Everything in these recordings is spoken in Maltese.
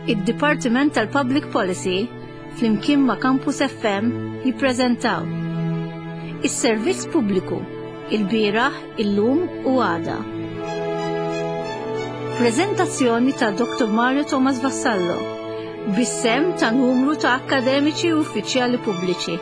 Id-Dipartiment tal-Public Policy flimkien ma' Campus FM jippreżentaw Is-Servizz Pubbliku, ilbieraħ, illum u għada. Preżentazzjoni ta' Dr. Mario Thomas Vassallo, bis-sehem ta' numru ta' akkademiċi u uffiċjali pubbliċi.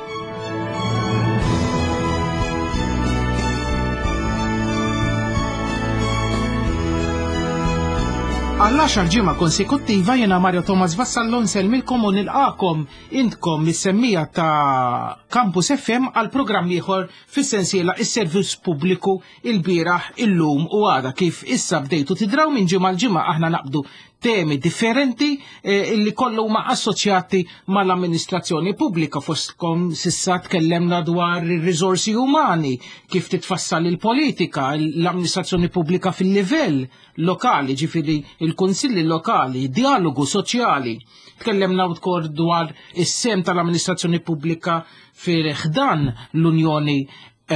Għall-għaxar ġimgħa konsekuttiva jiena Mario Thomas Vassallo nsellmilkom u nilqakom intkom mis-semmija ta' Campus FM għal programm ieħor fis-sensiela is-servizz pubbliku il-bieraħ, illum u għada kif issa bdejtu tidraw minn ġimgħa l-ġimgħa aħna naqbdu temi differenti eh, illi kollu huma assoċjati mal-amministrazzjoni pubblika fostkom sissa tkellemna dwar ir-riżorsi umani, kif titfassal il-politika, l-amministrazzjoni pubblika fil-livell lokali, ġifieri il-kunsilli lokali, dialogu soċjali. Tkellemna wkoll dwar is-sem tal-amministrazzjoni pubblika fil-ħdan l-Unjoni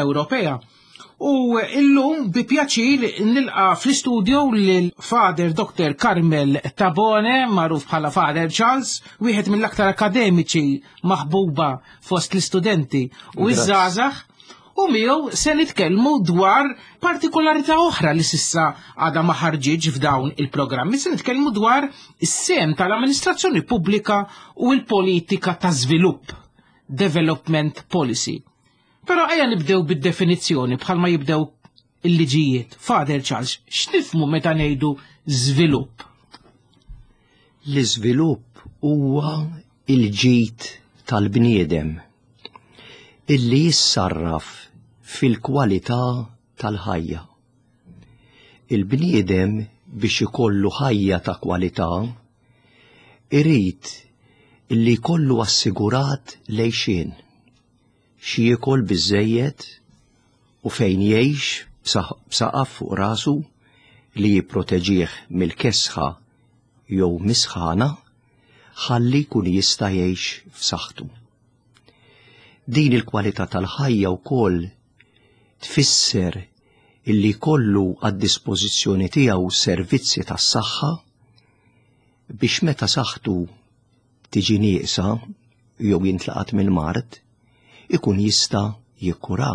Ewropea. U illum bi pjaċir nilqa fl-istudio lil Father Dr. Carmel Tabone, magħruf bħala Father Charles, wieħed mill-aktar akademiċi maħbuba fost l-istudenti u iż-żgħażagħ. U miegħu se nitkellmu dwar partikolarità oħra li sissa għadha ma ħarġitx f'dawn il-programmi, se nitkellmu dwar is-sem tal-amministrazzjoni pubblika u l-politika ta' żvilupp, development policy. Però ejja nibdew bid-definizzjoni bħalma jibdew il-liġijiet. Father Charles, x'nifmu meta ngħidu żvilupp? L-iżvilupp huwa il-ġid tal-bniedem illi jissarraf fil-kwalità tal-ħajja. Il-bniedem biex ikollu ħajja ta' kwalità irid illi jkollu assigurat l-għixien. X'jiekol biżżejjed u fejn jgħix b'saqaf fuq rasu li jipproteġih mill-kesħa jew mis-sħana ħalli jkun jista' jgħix f'saħħtu. Din il-kwalità tal-ħajja wkoll tfisser illi jkollu għad-dispożizzjoni tiegħu servizzi tas-saħħa biex meta saħħtu tiġi nieqsa jew jintlaqat mill-mard, ikun jista' jikkura.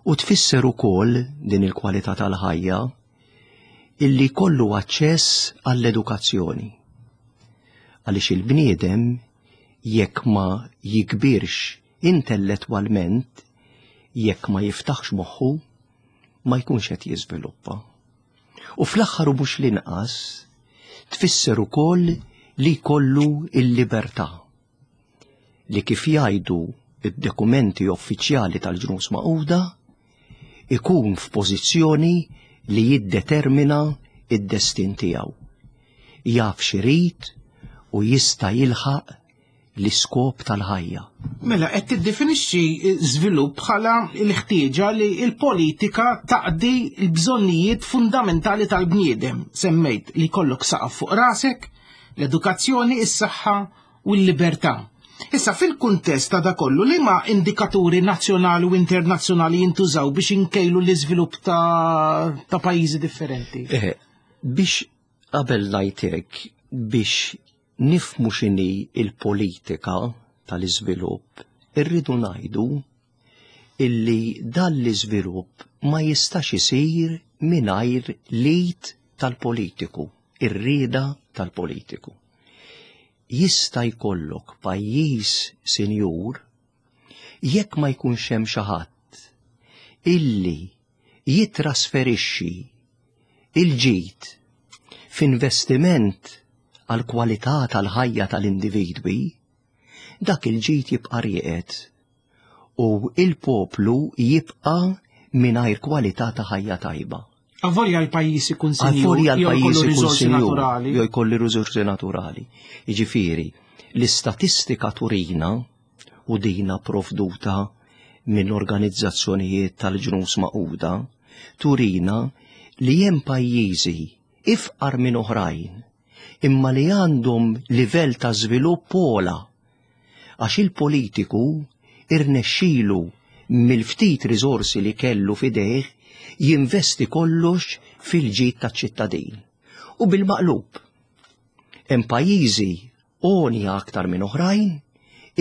U tfisser ukoll din il-kwalità tal-ħajja illi jkollu aċċess għall-edukazzjoni. Għaliex il-bniedem jekk ma jikbirx intellettwalment, jekk ma jiftaħx moħħu, ma jkunx qed jiżviluppa. U fl-aħħar u mhux l-inqas, tfisser ukoll li jkollu l-libertà li kif jgħidu id-dokumenti uffiċjali tal-ġnus Magħquda ikun f'pożizzjoni li jiddetermina id-destin tiegħu. Jaf x'irid u jista' jilħaq l-iskop tal-ħajja. Mela qed tiddefinixxi żvilupp bħala l-ħtieġa li l-politika taqdi l-bżonnijiet fundamentali tal-bniedem. Semmejt li jkollok saqaf fuq rasek, l-edukazzjoni, is-saħħa u l-libertà. Issa fil-kuntest ta' da kollu li ma indikaturi nazzjonali u internazzjonali jintużaw biex inkejlu l-iżvilupp ta', ta pajjiżi differenti? Eh, biex qabel ngħidlek biex nifhmu x'inhi l-politika tal-iżvilupp, irridu ngħidu illi dan l-iżvilupp ma jistax isir mingħajr l-id tal-politiku, ir-rieda tal-politiku. Jista' jkollok pajjiż sinjur jekk ma jkunx hemm xi ħadd illi jittrasferixxi l-ġid f'investiment għall-kwalità tal-ħajja tal-individwi, dak il-ġid jibqa' rieqed u l-poplu jibqa' mingħajr kwalità ta' ħajja tajba. Avolja l-pajjiż ikun sinjur, jew jkollu riżorsi naturali. Jew jkollu riżorsi naturali. Jiġifieri, l-istatistika turina u dina provduta minn organizzazzjonijiet tal-ġnus Magħquda turina li hemm pajjiżi ifqar minn oħrajn imma li għandhom livell ta' żvilupp ogħla għax il-politiku irnexxilu mill-ftit riżorsi li kellu f'idejh jinvesti kollox fil-ġid taċ-ċittadin. U bil-maqlub. Hemm pajjiżi għonja aktar minn oħrajn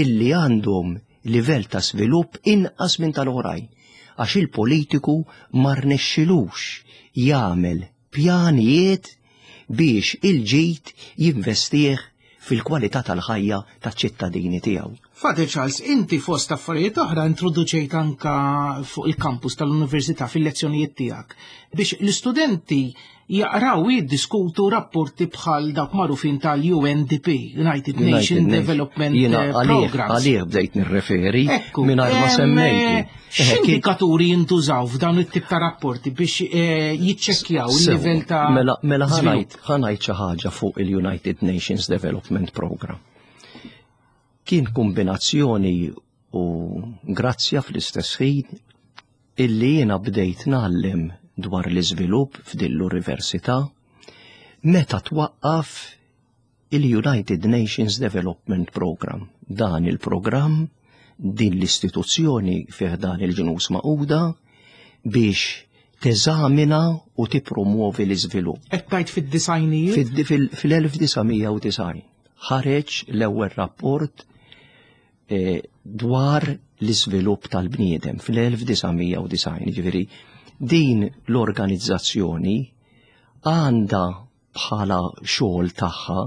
illi għandhom livell ta' svilupp inqas minn tal-oħrajn għax il-politiku ma rnexxilux jagħmel pjanijiet biex il-ġid jinvestih fil-kwalità tal-ħajja taċ-ċittadini tiegħu. Father Charles, inti fost affarijiet oħra introduċejt anka fuq il-kampus tal-Università fil-lezzjonijiet tiegħek biex l-istudenti jaqraw u jiddiskutu rapporti bħal dawk magħrufin tal-UNDP, United Nations Development eh, Program. Għalih bdejt nirreferi mingħajr ma semmejt. Eh, x'indikaturi jintużaw f'dawn it-tip ta' rapporti biex eh, jiċċekkjaw il-livell ta' Mela, mela ħanajt xi ħaġa fuq il-United Nations Development Program. Kien kombinazzjoni u grazzja fl-istess ħin illi jiena bdejt ngħallem dwar l-iżvilupp f'din l-università meta twaqqaf il-United Nations Development Program. Dan il-programm din l-istituzzjoni fih dan il-ġnus maquda biex teżamina u tippromuovi l-iżvilupp. Qed tgħid fid-disajnijiet? Fil-1990 ħareġ l-ewwel rapport eh, dwar l-iżvilupp tal-bniedem fl-1990, ġifieri din l-organizzazzjoni għandha bħala xogħol tagħha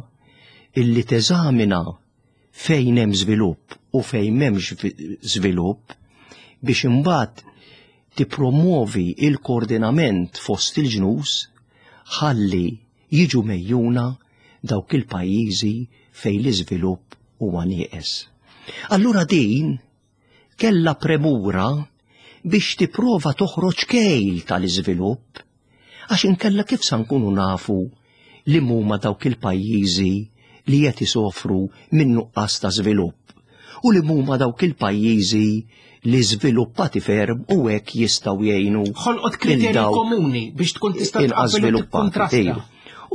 illi teżamina fejn hemm żvilupp u fejn m'hemmx żvilupp biex imbagħad tippromuovi il-koordinament fost il-ġnus ħalli jiġu mejjuna dawk il-pajjiżi fejn l-iżvilupp huwa nieqes. Allura din kellha premura biex tipprova toħroġ kejl tal-iżvilupp għax inkella kif sa nkunu nafu li huma dawk il-pajjiżi li qed isofru minn nuqqas ta' żvilupp u li huma dawk il-pajjiżi li żviluppati ferm u hekk jistgħu jgħinu. Ħolqot kriterji komuni biex tkun tista' tqabbel u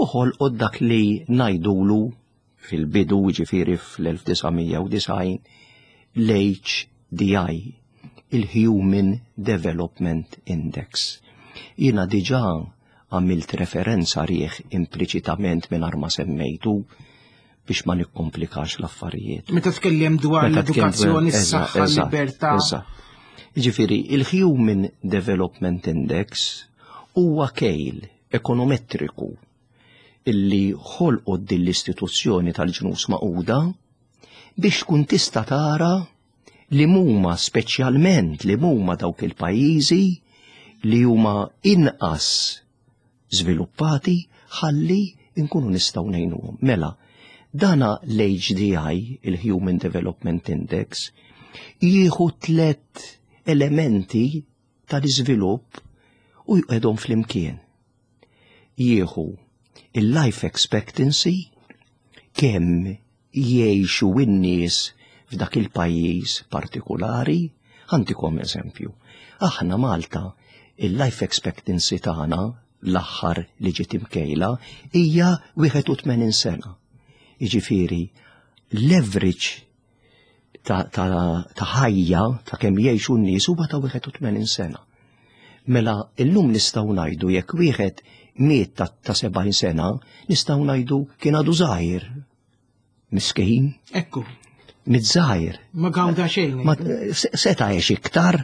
U ħolqot dak li ngħidulu fil-bidu ġifieri fl-1990 l-HDI, il-Human Development Index. Jiena diġà għamilt referenza rieħ impliċitament mingħajr ma semmejtu biex ma nikkomplikax l-affarijiet. Meta tkellem dwar l-edukazzjoni, s-saħħa, l-libertà. Ġifieri, il-Human Development Index huwa kejl ekonometriku illi ħolqot din l-istituzzjoni tal-ġnus maquda biex tkun tista' tara li huma speċjalment li huma dawk il-pajjiżi li huma inqas żviluppati ħalli nkunu nistgħu ngħinuhom. Mela, dana l-HDI, il-Human Development Index, jieħu tlet elementi tal-iżvilupp u jqedhom flimkien. Jieħu il-life expectancy, kemm jgħixu n-nies f'dak il-pajjiż partikulari. Ħantikom eżempju. Aħna Malta, il-life expectancy tagħna l-aħħar li ġiet imkejla hija 81 sena. Jiġifieri l-average ta' ħajja ta' kemm jgħixu n-nies huwa ta' 81 sena. Mela illum nistgħu ngħidu jekk wieħed miet ta' 70 sena, nistgħu ngħidu kien għadu żgħir. Miskin. Ekku. Miet żgħir. Ma gawda xejn. Ma seta' għex iktar.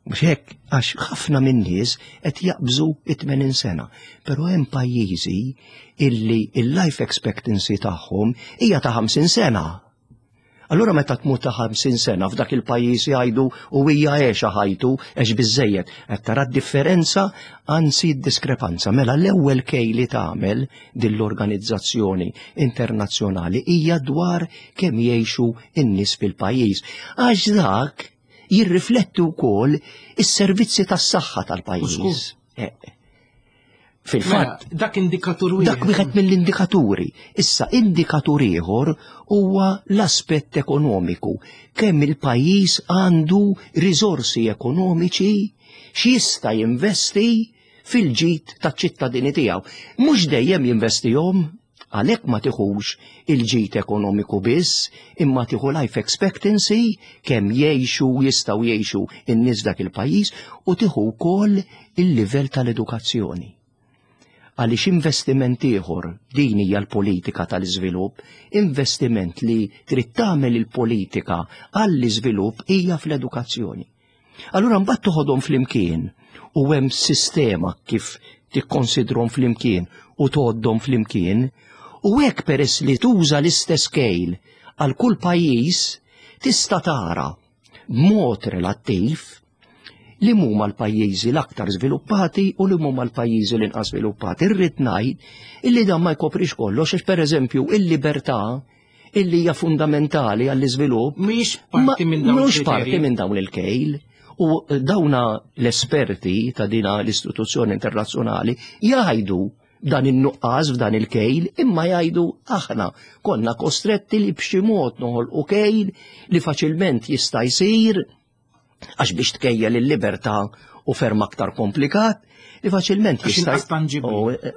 Mhux hekk, għax ħafna min-nies qed jaqbżu it-80 sena. Però hemm pajjiżi illi il-life expectancy tagħhom hija ta' 50 sena. Allura meta tmut ta' 50 sena f'dak il-pajjiż jgħidu u hija għexa ħajtu għex biżejjed. Qed tara d-differenza anzi d-diskrepanza. Mela l-ewwel kej li tagħmel din l-organizzazzjoni internazzjonali hija dwar kemm jgħixu n-nies fil-pajjiż. Għax dak jirrifletti wkoll is-servizzi tas-saħħa tal-pajjiż. Eh, Fil-fatt, mela, dak indikatur wieħed. Dak wieħed mill-indikaturi. Issa indikatur ieħor huwa l-aspett ekonomiku. Kemm il-pajjiż għandu riżorsi ekonomiċi x'jista' jinvesti fil-ġid taċ-ċittadini tiegħu. Mhux dejjem jinvestihom, għalhekk ma tiħux il-ġid ekonomiku biss, imma tieħu life expectancy kemm jgħixu jistgħu jgħixu n-nies dak il-pajjiż u tieħu wkoll il-livell tal-edukazzjoni. Għaliex investiment ieħor, din hija l-politika tal-iżvilupp, investiment li trid tagħmel il-politika għall-iżvilupp hija fl-edukazzjoni. Allura mbagħad toħodhom flimkien u hemm sistema kif tikkonsidrhom flimkien u tgħoddhom flimkien u hekk peress li tuża l-istess kejl għal kull pajjiż tista' tara b'mod relattiv li huma l-pajjiżi l-aktar żviluppati u li huma l-pajjiżi l-inqas żviluppati. Irrid ngħid illi dan ma jkoprix kollox għax pereżempju il-libertà illi hija fundamentali għall-iżvilupp mhix parti minn dawn mhux parti minn dawn il-kejl. U dawna l-esperti ta' dina l-istituzzjoni internazzjonali jgħidu dan in-nuqqas f'dan il-kejl imma jgħidu aħna konna kostretti li b'xi mod noħolqu kejl li faċilment jista' jsir Għax biex tkejjel il-libertà u ferm aktar komplikat, li faċilment jista' eh,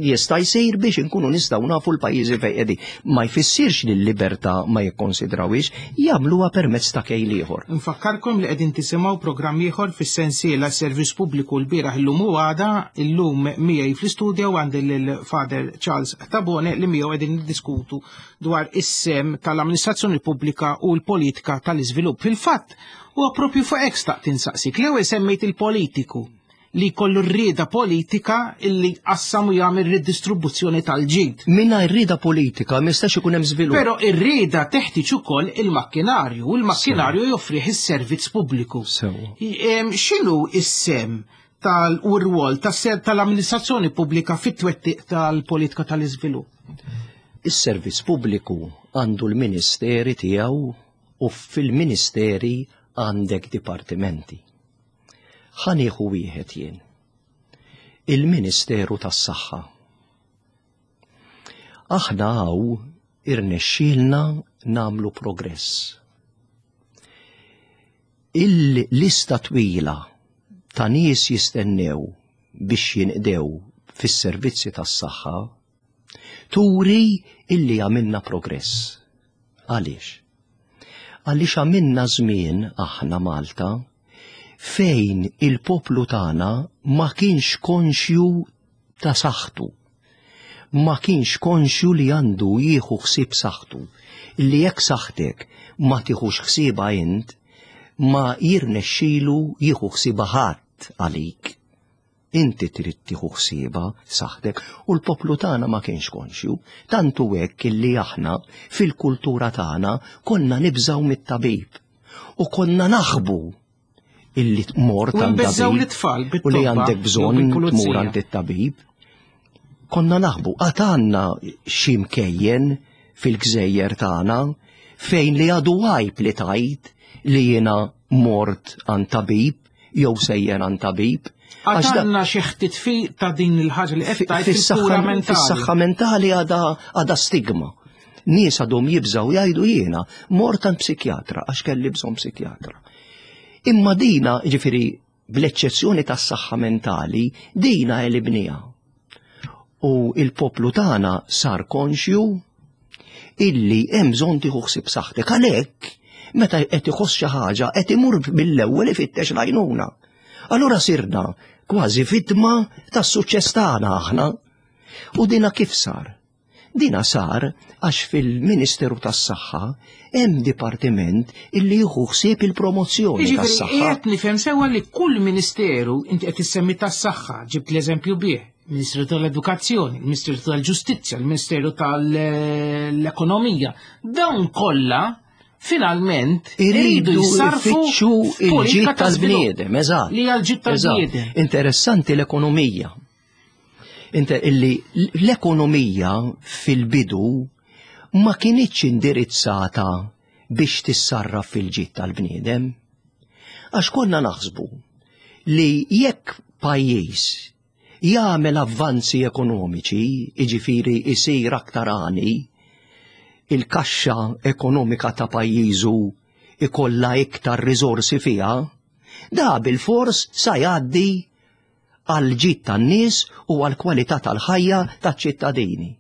jista' jsir biex inkunu nistgħu nafu l-pajjiżi fejn qegħdin. Ma jfissirx li l-libertà ma jikkonsidrawhiex, jagħmluha permezz ta' kejl ieħor. Nfakkarkom li qegħdin tisimgħu programm ieħor fis-sensiela Servizz Pubbliku l-bieraħ illum u għada, illum miegħi fl-istudju għandi lil Father Charles Tabone li miegħu qegħdin niddiskutu dwar is-sehem tal-amministrazzjoni pubblika u l-politika tal-iżvilupp. Fil-fatt, huwa propju fuq hekk staqt insaqsik. L-ewwel semmejt il-politiku li jkollu r-rieda politika illi qassam u jagħmel ridistribuzzjoni tal-ġid. Mingħajr rieda politika ma jistax ikun hemm żvilupp. Però ir-rieda teħtieġ ukoll il-makkinarju u l-makkinarju joffrih is-servizz pubbliku. X'inhu is-sem tal u r-rwol tal-amministrazzjoni pubblika fit-twettiq tal-politika tal-iżvilupp? Is-servizz pubbliku għandu l-ministeri tiegħu u fil-ministeri għandek dipartimenti. Ħa nieħu wieħed jien. Il-Ministeru tas-Saħħa. Aħna hawn irnexxielna nagħmlu progress. Il-lista twila ta' nies jistennew biex jinqdew fis-servizzi tas-saħħa turi illi għamilna progress. Għaliex? Għaliex għamilna żmien aħna Malta fejn il-poplu tagħna ma kienx konxju ta' saħħtu. Ma kienx konxju li għandu jieħu ħsieb saħħtu. Li jekk saħħtek ma tieħux ħsiebha int, ma jirnexxilu jieħu ħsiebha ħadd għalik. Inti trid tieħu ħsiebha saħħtek u l-poplu tagħna ma kienx konxju. Tant hu hekk illi aħna fil-kultura tagħna konna nibżgħu mit-tabib u konna naħbu illi tmur għand tabib u li għandek bżonn tmur għand it-tabib. Konna naħbu, għad għandna xi mkejjen fil-gżejjer tagħna fejn li għadu għajb li tajt li jiena mort għand tabib jew sejjer għand tabib. Għax għandna xi ħtit fi ta' din il-ħaġa li qed tgħid fis-saħħa mentali. Fis-saħħa mentali għadha stigma. Nies għadhom jibżgħu jgħidu jiena mort għand psikjatra għax kelli bżonn psikjatra. Imma dina, ġifieri, bl-eċċezzjoni tas-saħħa mentali, dina elibniha. U il-poplu tagħna sar konxju illi hemm bżonn tieħu ħsieb saħħtek. Għalhekk, meta qed iħoss xi ħaġa qed imur mill-ewwel ifittex l-għajnuna. Allura sirna kważi vittma tas-suċċess tagħna aħna. U dina kif sar? Dina sar għax fil-Ministeru tas-Saħħa hemm dipartiment illi jieħu ħsieb il-promozzjoni Jiġifieri tas-saħħa. qiegħed nifhem sewwa li kull ministeru inti qed issemmi tas-saħħa, ġibt l-eżempju bih, Ministeru tal-Edukazzjoni, il-Ministeru tal-Ġustizzja, il-Ministeru tal-Ekonomija, dawn kollha finalment Iridu iridu jissarfu jfittxu il-ġid f'politika ta' żvilupp. tal-bniedem, eżatt. Li hija l-ġid Eżatt. tal-bniedem. Interessanti l-ekonomija. Inter illi l-ekonomija fil-bidu ma kinitx indirizzata biex tissarraf fil-ġid tal-bniedem. Għax konna naħsbu li jekk pajjiż jagħmel avvanzi ekonomiċi, jiġifieri jsir aktar għani, il-kaxxa ekonomika ta' pajjiżu ikollha iktar riżorsi fiha, da bilfors sa jgħaddi għall-ġid tan-nies u għall-kwalità tal-ħajja taċ-ċittadini.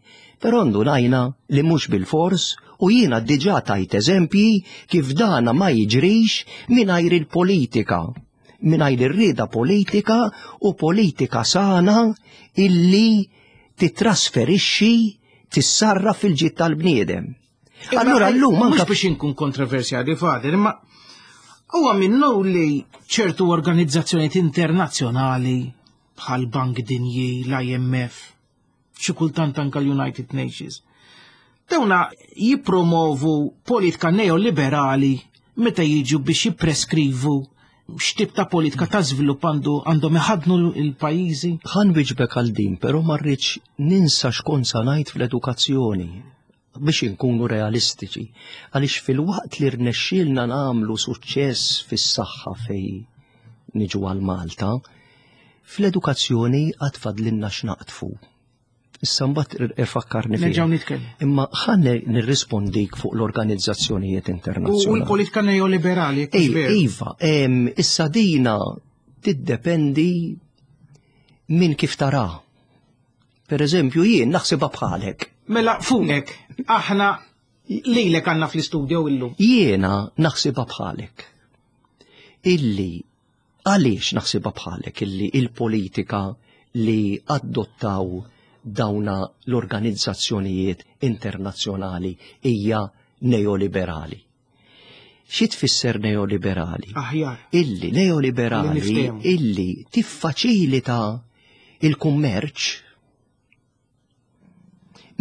Però ndunajna li mhux bilfors u jiena diġà tajt eżempji kif dana ma jiġrix mingħajr il-politika, mingħajr ir-rieda politika u politika sana illi titrasferixxi tissarraf fil-ġid tal-bniedem. Allura llum anke biex inkun kontroversjali fader, imma huwa minnu li ċertu organizzazzjonijiet internazzjonali bħal Bank Dinji, l-IMF, xi kultant anke l-United Nations. Dawna jippromovu politika neoliberali meta jiġu biex jippreskrivu x'tip ta' politika ta' żvilupp għandu għandhom iħadnu l-pajjiżi? Ħan wieġbek għal din, però ma rridx ninsa x'kont sa ngħid fl-edukazzjoni biex inkunu realistiċi, għaliex fil-waqt li rnexxielna nagħmlu suċċess fis-saħħa fej niġu għal Malta, fl-edukazzjoni għad fadlinna x'naqtfu. Issa mbagħad ifakkarni fiha. Nerġgħu nitkellmu. Imma ħa nirrispondik fuq l-organizzazzjonijiet internazzjonali. U l-politika neoliberali. Iva, issa dina tiddependi minn kif tara. Per eżempju, jien naħsibha bħalek. Mela fuqek, aħna lilek għandna fl-istudio illum. Jiena naħsibha bħalek. Illi Għaliex naħsibha bħalek illi il-politika li adottaw dawna l-organizzazzjonijiet internazzjonali hija neoliberali? Xi tfisser neoliberali? Aħjar. Illi neoliberali illi tiffaċilita il-kummerċ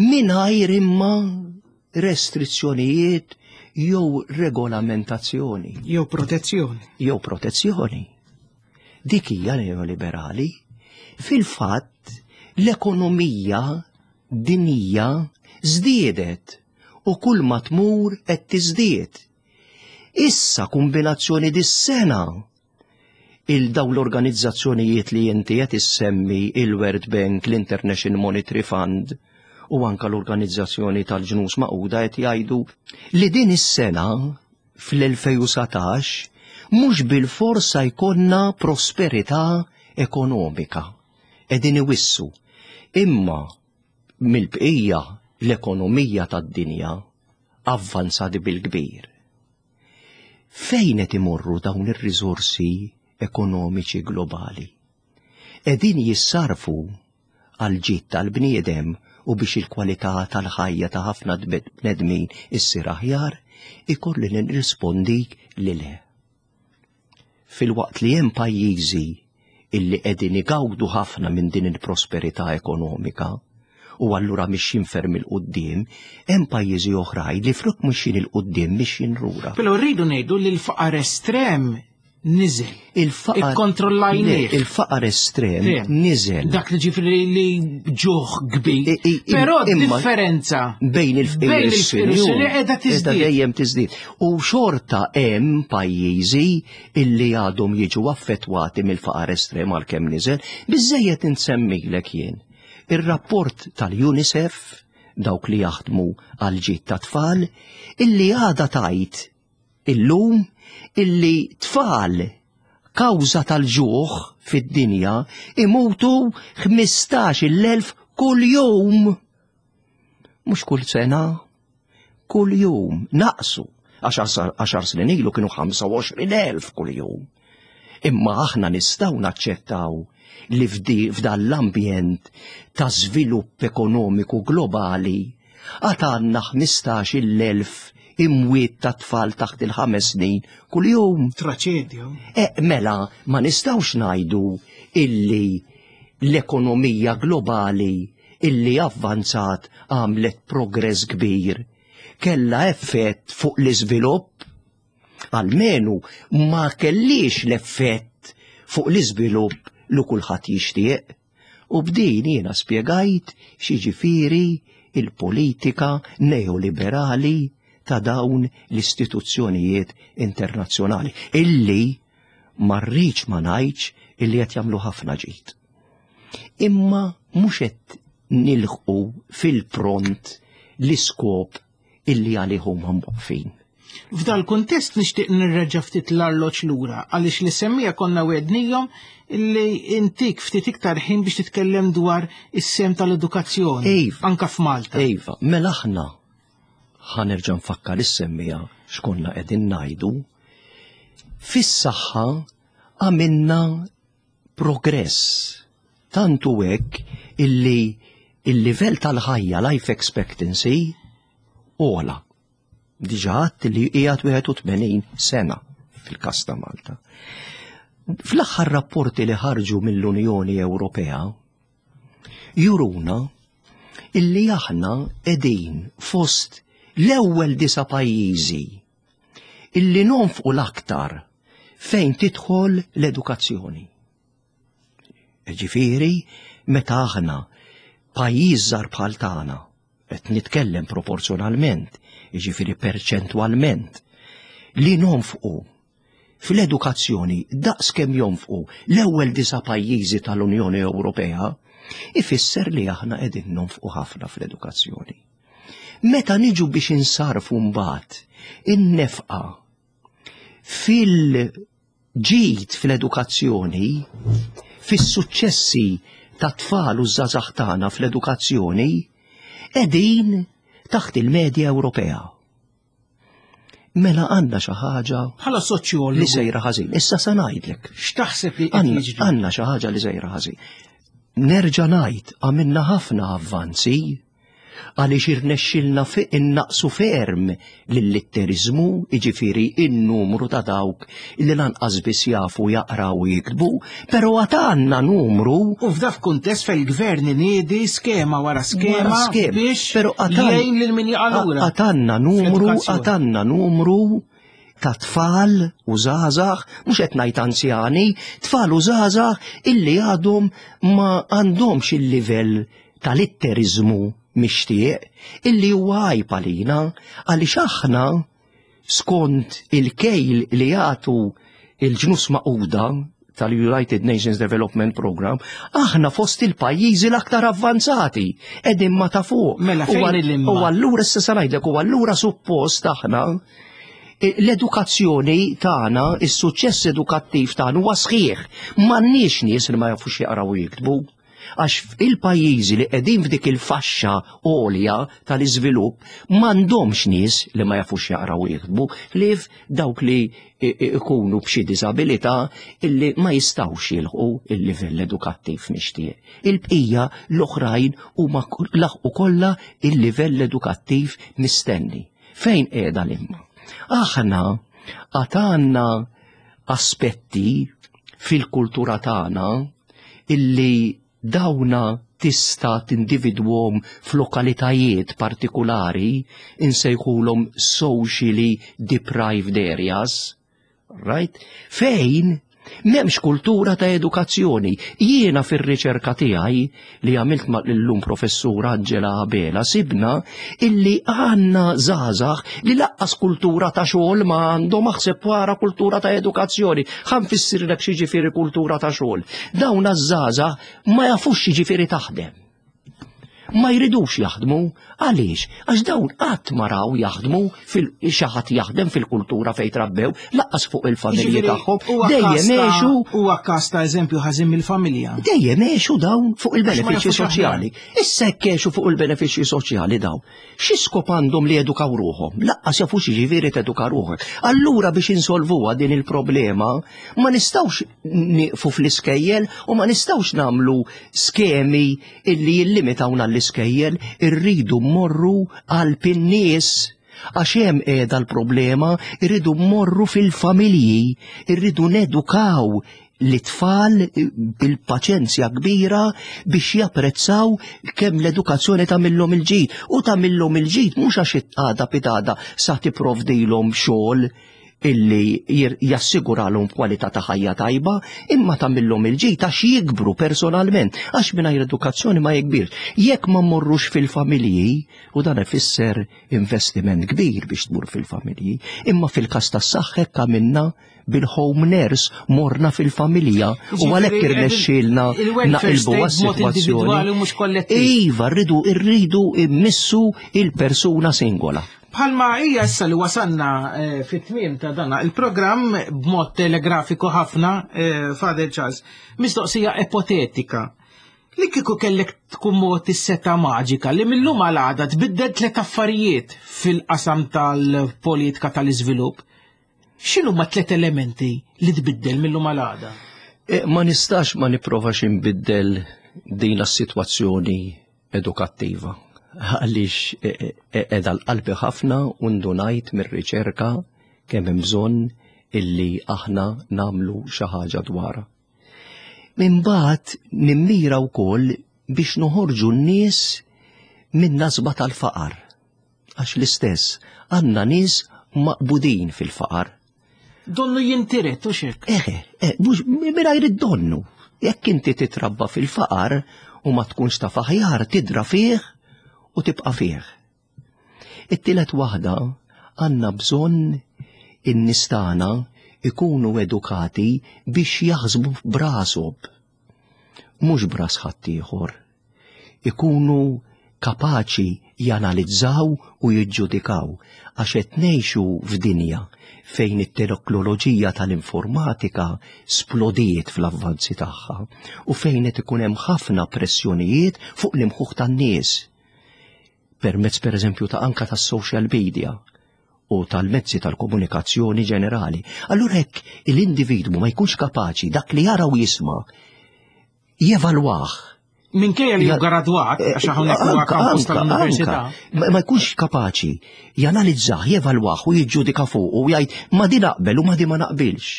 mingħajr imma restrizzjonijiet jew regolamentazzjoni. Jew protezzjoni. Jew protezzjoni. Dik hija neoliberali. Fil-fatt, l-ekonomija dinija żdiedet u kull ma tmur qed tiżdied. Issa kombinazzjoni dis-sena il dawn l-organizzazzjonijiet li inti qed issemmi il-World Bank, l-International Monetary Fund u anka l-Organizzazzjoni tal-Ġnus Magħquda qed jgħidu li din is-sena fl-2019 mhux bilfors jkollna prosperità ekonomika. Qegħdin iwissu. Imma mill-bqija l-ekonomija tad-dinja avvanzat bil-kbir. Fejn qed imorru dawn ir-riżorsi ekonomiċi globali? Qegħdin jissarfu għal ġid tal-bniedem u biex il-kwalità tal-ħajja ta' ħafna bnedmin issir aħjar, ikolli nirrispondik li le. Filwaqt li hemm pajjiżi illi qegħdin igawdu ħafna minn din il-prosperità ekonomika u allura mixjin ferm 'il quddiem, hemm pajjiżi oħrajn li flok mixjin 'il quddiem mixjin lura. Però rridu ngħidu li l-faqar estrem niżel. Il-faqar Ikkontrollajnieh. Il-faqar estrem niżel. Dak li ġifieri li ġuħ kbir. Però differenza bejn il-fqir u s-sinjur qiegħda tiżdied. Dejjem tiżdied. U xorta hemm pajjiżi illi għadhom jiġu affettwati mill-faqar estrem għalkemm niżel, biżejjed insemmilek jien. Ir-rapport tal-UNICEF, dawk li jaħdmu għal ġid ta' tfal, illi għada tajt illum illi tfal kawża tal-ġuħ fid-dinja imutu 15,000 kull jum. Mhux kull sena, kull jum naqsu għax għaxar snin ilu kienu 25,000 kull jum. Imma aħna nistgħu naċċettaw li f'dan l-ambjent ta' żvilupp ekonomiku globali għad għandna 15,000 imwiet ta' tfal taħt il-ħames snin kuljum. Traċedja. E, mela, ma nistgħux ngħidu illi l-ekonomija globali illi avvanzat għamlet progress kbir kellha effett fuq l-iżvilupp Almenu ma kellix l-effett fuq l-iżvilupp li kulħadd jixtieq. U b'din jiena spjegajt x'jiġifieri il-politika neoliberali ta' dawn l-istituzzjonijiet internazzjonali illi ma rridx ma ngħidx illi qed jagħmlu ħafna ġid. Imma mhux qed nilħqu fil-pront l-iskop illi għalih huma mwaqqfin. F'dal kuntest nixtieq nirreġa' ftit l-arloġġ lura għaliex li semmija konna wegħdnihom li intik ftit iktar ħin biex titkellem dwar is-sehem tal-edukazzjoni iva, anka f'Malta. Iva, mela aħna ħa nerġa' nfakkar is-semmija x'konna qegħdin ngħidu. Fis-saħħa għamilna progress. Tant hu hekk illi il-livell tal-ħajja life expectancy ogħla. Diġà għadt li qiegħed 81 sena fil-każ ta' Malta. Fl-aħħar rapporti li ħarġu mill-Unjoni Ewropea juruna illi aħna qegħdin fost l-ewwel disa' pajjiżi illi nonfqu l-aktar fejn tidħol l-edukazzjoni. Ġifieri, meta aħna pajjiż żgħar bħal tagħna, qed nitkellem proporzjonalment, jiġifieri perċentwalment, li nonfqu fl-edukazzjoni daqs kemm jonfqu l-ewwel disa' pajjiżi tal-Unjoni Ewropea, ifisser li aħna qegħdin nonfqu ħafna fl-edukazzjoni. Meta niġu biex insarfu mbagħad in-nefqa fil-ġid fl-edukazzjoni, fis-suċċessi tat-tfal u ż-żgħażagħ tagħna fl-edukazzjoni, qegħdin taħt il-medja Ewropea. Mela għandna xi ħaġa bħala soċjologu li sejra ħażin. Issa se ngħidlek. X'taħseb li qed jiġri? Għandna xi ħaġa li sejra ħażin. Nerġa' ngħid għamilna ħafna avvanzi għaliex irnexxilna innaqsu ferm lill-litteriżmu, jiġifieri n-numru ta' dawk li lanqas biss jafu jaqraw u jiktbu, però għad għandna numru. U f'dak kuntest fejn il-gvern iniedi skema wara skema biex jgħin lil min jaqa' lura. Għad għandna numru, għad għandna numru ta' tfal u żgħażagħ, mhux qed ngħid anzjani, tfal u żgħażagħ illi għadhom ma għandhomx il-livell ta' litteriżmu mixtieq illi huwa għajb għalina għaliex aħna skont il-kejl li jagħtu il-ġnus Magħquda tal-United Nations Development Program, aħna fost il-pajjiżi l-aktar avvanzati, qegħdin ma ta' fuq. Mela fejn il-imma? U allura issa se ngħidlek, u allura suppost aħna l-edukazzjoni tagħna, is-suċċess edukattiv tagħna huwa sħiħ. M'għandniex nies li ma jafux jaqraw u jiktbu. Għax il-pajjiżi li qegħdin f'dik il-faxxa għolja tal-iżvilupp m'għandhomx nies li ma jafux jaqraw u jiktbu, ħlief dawk li ikunu b'xi diżabilità illi ma jistgħux jilħqu il-livell edukattiv mixtieq. Il-bqija l-oħrajn huma laħqu kollha il-livell edukattiv mistenni. Fejn qiegħda l-imma? Aħna għad għandna aspetti fil-kultura tagħna illi dawna tista' tindividwhom f'lokalitajiet partikulari insejħulhom socially deprived areas, right? Fejn m'hemmx kultura ta' edukazzjoni. Jiena fir-riċerka tiegħi li għamilt ma' l-lum professur Angela Abela sibna illi għandna żgħażagħ li laqqas kultura ta' xogħol ma għandhom aħseb wara kultura ta' edukazzjoni. Ħa nfissirlek x'jiġifieri kultura ta' xogħol. Dawn għaż-żgħażagħ ma jafux x'jiġifieri taħdem. Ma jridux jaħdmu, għaliex? Għax dawn qatt ma raw jaħdmu fil xi ħadd jaħdem fil-kultura fejn trabbew, laqqas fuq il-familji tagħhom. Dejjem għexu. Huwa każ ta' eżempju ħażin mill-familja. Dejjem għexu dawn fuq il-benefiċċji soċjali. Issa hekk għexu fuq il-benefiċċji soċjali dawn. Xi skop għandhom li jedukaw ruħhom? Laqqas jafu x'jiġifieri teduka ruħek. Allura biex insolvuha din il-problema ma nistgħux nieqfu fl-iskejjel u ma nistgħux nagħmlu skemi illi jillimitawna l-iskejjel, irridu mmorru qalb in-nies għax hemm qiegħda l-problema, irridu mmorru fil-familji, irridu nedukaw l-tfal bil-paċenzja kbira biex japprezzaw kemm l-edukazzjoni tagħmilhom il-ġid. U tagħmilhom il-ġid mhux għax għada pitada sa tipprovdilhom xogħol illi jassiguralhom kwalità ta' ħajja tajba, imma tagħmilhom il-ġid għax jikbru personalment, għax mingħajr edukazzjoni ma jikbirx. Jekk ma mmorrux fil-familji, u dan ifisser investiment kbir biex tmur fil-familji, imma fil-każ tas-saħħa hekk għamilna bil-home nurse morna fil-familja u għalhekk irnexxielna naqilbu għas-sitwazzjoni. Iva, rridu rridu immissu il-persuna singola. Bħalma hija issa li wasalna eh, fit-tmiem ta' dana il-programm b'mod telegrafiku ħafna, eh, Father Charles, mistoqsija ipotetika. Li kieku kellek tkun mod is-seta maġika li millum għal għada tbiddel tliet affarijiet fil-qasam tal-politika tal-iżvilupp, x'inhuma tliet elementi li tbiddel millum għal għada? Eh, ma nistax ma nipprovax inbiddel din s-sitwazzjoni edukattiva għaliex qiegħda l-qalbi ħafna u ndunajt mir-riċerka kemm hemm bżonn illi aħna nagħmlu xi ħaġa dwarha. Imbagħad nimmira wkoll biex noħorġu n-nies minn nasba tal-faqar. Għax l-istess, għandna nies maqbudin fil-faqar. Donnu jintiret u xek. Eħe, eh, mhux mingħajr id-donnu. Jekk inti titrabba fil-faqar u ma tkunx taf aħjar tidra fih u tibqa' fih. It-tielet waħda għandna bżonn in-nies tagħna ikunu edukati biex jaħsbu b'rashom mhux b'ras ħaddieħor. Ikunu kapaċi janalizzaw u jiġġudikaw għax qed ngħixu f'dinja fejn it-teknoloġija tal-informatika splodiet fl-avvanzi tagħha u fejn qed ikun hemm ħafna pressjonijiet fuq l-imħuħ tan-nies. Permezz pereżempju ta' anka tas-social media u tal-mezzi tal-komunikazzjoni ġenerali. Allura hekk l-individwu ma jkunx kapaċi dak li jara u jisma' jevalwah. Minkejja li gradwat, eh, għax hawnhekk huwa kampus tal-università. Ma jkunx kapaċi janalizzah, jevalwah u jiġġudika fuq u jgħid ma di naqbel u ma di ma naqbilx.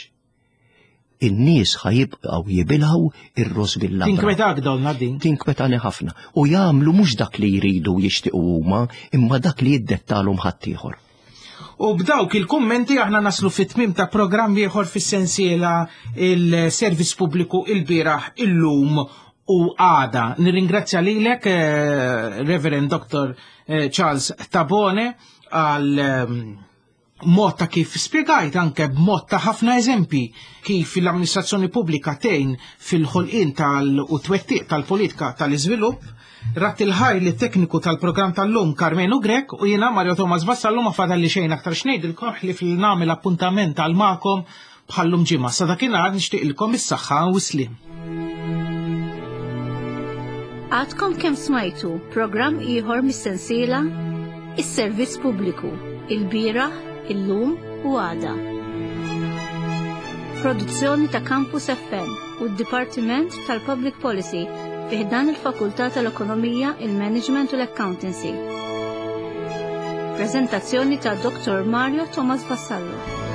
In-nies ħajibqgħu jibilgħu ir-ross bil-labra. Tinkwetak donna din. Tinkwetani ħafna. U jagħmlu mhux dak li jridu jixtiequ huma, imma dak li jiddettalhom ħaddieħor. U b'dawk il-kummenti aħna naslu fit-tmim ta' programm ieħor fis-sensiela il-Servizz Pubbliku il-bieraħ illum u għada. Nirringrazzja lilek, eh, Reverend Dr. Eh, Charles Tabone, għal ehm, mod ta' kif spjegajt anke b'mod ta' ħafna eżempji kif l-amministrazzjoni pubblika tgħin fil-ħolqien tal u twettiq tal-politika tal-iżvilupp. Rat il-ħaj li tekniku tal-programm tal-lum Karmenu Grek u jiena Mario Thomas Vassallu ma fadalli xejn aktar xnejdilkom li fil-nagħmel appuntament għal magħkom bħallum ġimgħa. Sa dakinhar nixtieqilkom is-saħħa u s-sliem. Għadkom kemm smajtu programm ieħor mis-sensiela Is-Servizz Pubbliku, il-bieraħ, illum u għada. Produzzjoni ta' Campus FM u d-Dipartiment tal-Public Policy fi ħdan il-Fakultà tal-Ekonomija, il-Management u l-Accountancy. Prezentazzjoni ta' Dr. Mario Thomas Vassallo.